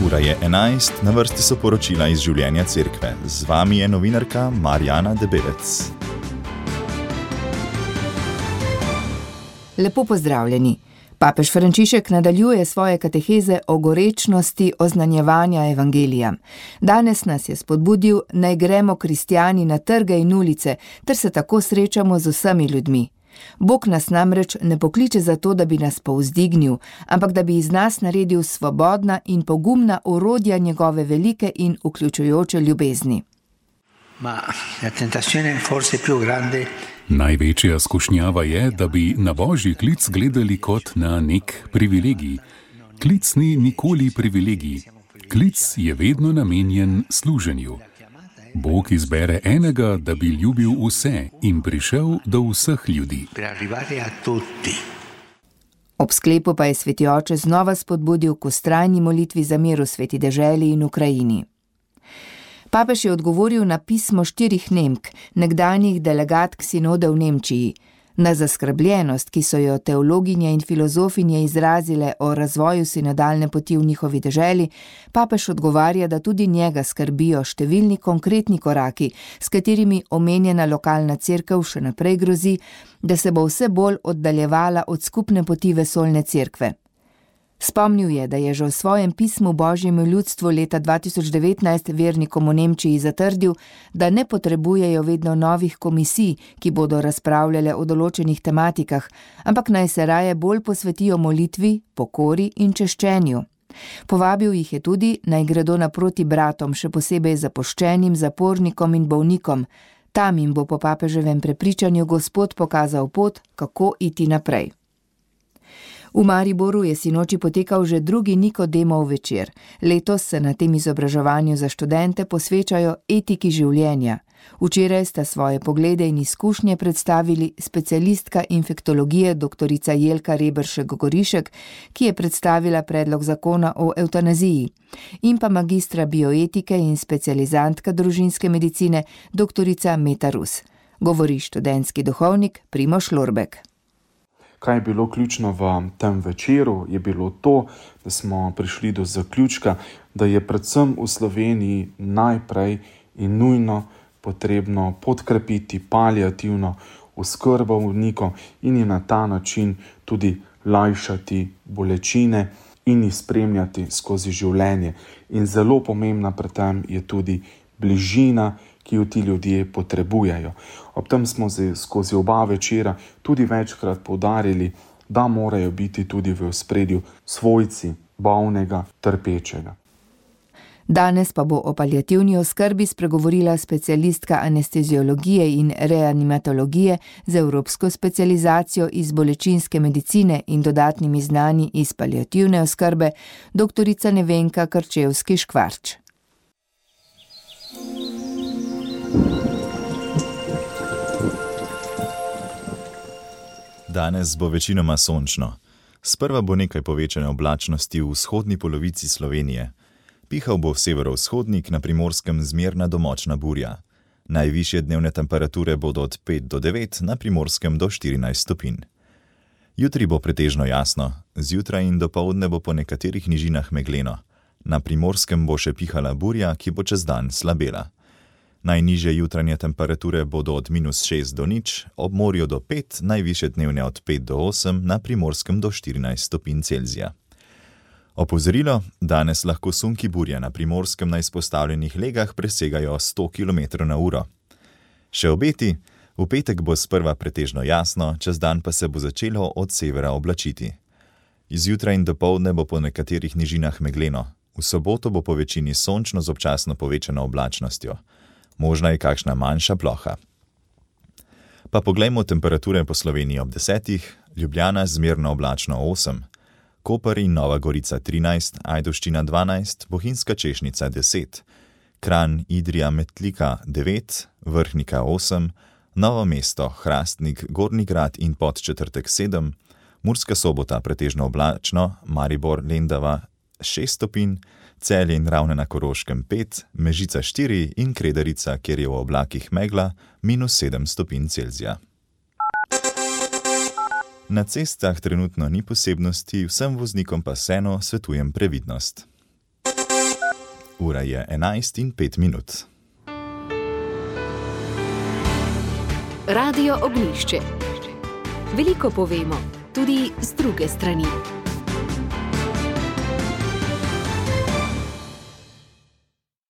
Ura je 11, na vrsti so poročila iz življenja cerkve. Z vami je novinarka Marjana Debelec. Lepo pozdravljeni. Papež Frančišek nadaljuje svoje kateheze o gorečnosti oznanjevanja evangelija. Danes nas je spodbudil, naj gremo kristjani na trge in ulice, ter se tako srečamo z vsemi ljudmi. Bog nas namreč ne pokliče za to, da bi nas povzdignil, ampak da bi iz nas naredil svobodna in pogumna orodja njegove velike in vključujoče ljubezni. Največja skušnjava je, da bi na Božji klic gledali kot na nek privilegij. Klic ni nikoli privilegij. Klic je vedno namenjen služenju. Bog izbere enega, da bi ljubil vse in prišel do vseh ljudi. Ob sklepu pa je sveti oče znova spodbudil k vztrajni molitvi za mir v sveti deželi in Ukrajini. Papež je odgovoril na pismo 4 Nemk, nekdanjih delegatk sinode v Nemčiji. Na zaskrbljenost, ki so jo teologinje in filozofinje izrazile o razvoju sinodalne poti v njihovi deželi, papež odgovarja, da tudi njega skrbijo številni konkretni koraki, s katerimi omenjena lokalna cerkev še naprej grozi, da se bo vse bolj oddaljevala od skupne poti vesoljne cerkve. Spomnil je, da je že v svojem pismu Božjemu ljudstvu leta 2019 vernikom v Nemčiji zatrdil, da ne potrebujejo vedno novih komisij, ki bodo razpravljale o določenih tematikah, ampak naj se raje bolj posvetijo molitvi, pokori in češčenju. Povabil jih je tudi, naj gredo naproti bratom, še posebej zapuščenim, zapornikom in bolnikom. Tam jim bo po papeževem prepričanju Gospod pokazal pot, kako iti naprej. V Mariboru je sinoči potekal že drugi Nikodemov večer. Letos se na tem izobraževanju za študente posvečajo etiki življenja. Včeraj sta svoje poglede in izkušnje predstavili specialistka infektologije dr. Jelka Reberšek-Gorišek, ki je predstavila predlog zakona o evtanaziji, in pa magistra bioetike in specializantka družinske medicine dr. Meta Rus. Govori študentski duhovnik Primož Lorbek. Kaj je bilo ključno v tem večeru, je bilo to, da smo prišli do zaključka, da je predvsem v Sloveniji najprej in nujno potrebno podkrepiti paliativno oskrbo bolnikov in jim na ta način tudi lajšati bolečine in jih spremljati skozi življenje. In zelo pomembna pri tem je tudi bližina, ki jo ti ljudje potrebujejo. Ob tem smo skozi oba večera tudi večkrat poudarili, da morajo biti tudi v ospredju svojci bolnega, trpečega. Danes pa bo o paliativni oskrbi spregovorila specialistka anesteziologije in reanimatologije z evropsko specializacijo iz bolečinske medicine in dodatnimi znanji iz paliativne oskrbe, dr. Nevenka Krčevski-Škvarč. Danes bo večinoma sončno. Sprva bo nekaj povečane oblačnosti v vzhodni polovici Slovenije. Pihal bo severovzhodnik, na Primorskem zmerna do močna burja. Najvišje dnevne temperature bodo od 5 do 9, na Primorskem do 14 stopinj. Jutri bo pretežno jasno, zjutraj in dopoldne bo po nekaterih nižinah megleno. Na Primorskem bo še pihala burja, ki bo čez dan slabela. Najnižje jutranje temperature bodo od -6 do 0, ob morju do 5, najvišje dnevne od 5 do 8, na Primorskem do 14 stopinj Celzija. Opozorilo, danes lahko sunki burja na Primorskem na izpostavljenih legah presegajo 100 km/h. Še obeti, v petek bo sprva pretežno jasno, čez dan pa se bo začelo od severa oblačiti. Zjutraj in dopoldne bo po nekaterih nižinah megleno, v soboto bo po večini sončno z občasno povečano oblačnostjo. Možna je kakšna manjša ploha. Pa poglejmo temperature po Sloveniji ob 10, Ljubljana zmerno oblačno 8, Koper in Nova Gorica 13, Ajdovščina 12, Bohinjska Češnica 10, Kranj, Idrija, Metlika 9, Vrhnika 8, Novo mesto, Hrastnik, Gornji Grad in Podčetrtek 7, Murska Sobota pretežno oblačno, Maribor, Lendava 6 stopinj, Celje in Ravne na Koroškem 5, Mežica 4 in Kredarica, kjer je v oblakih megla, -7 stopinj Celzija. Na cestah trenutno ni posebnosti, vsem voznikom pa vseeno svetujem previdnost. Ura je 11:05. Radio Ognjišče. Veliko povemo, tudi z druge strani.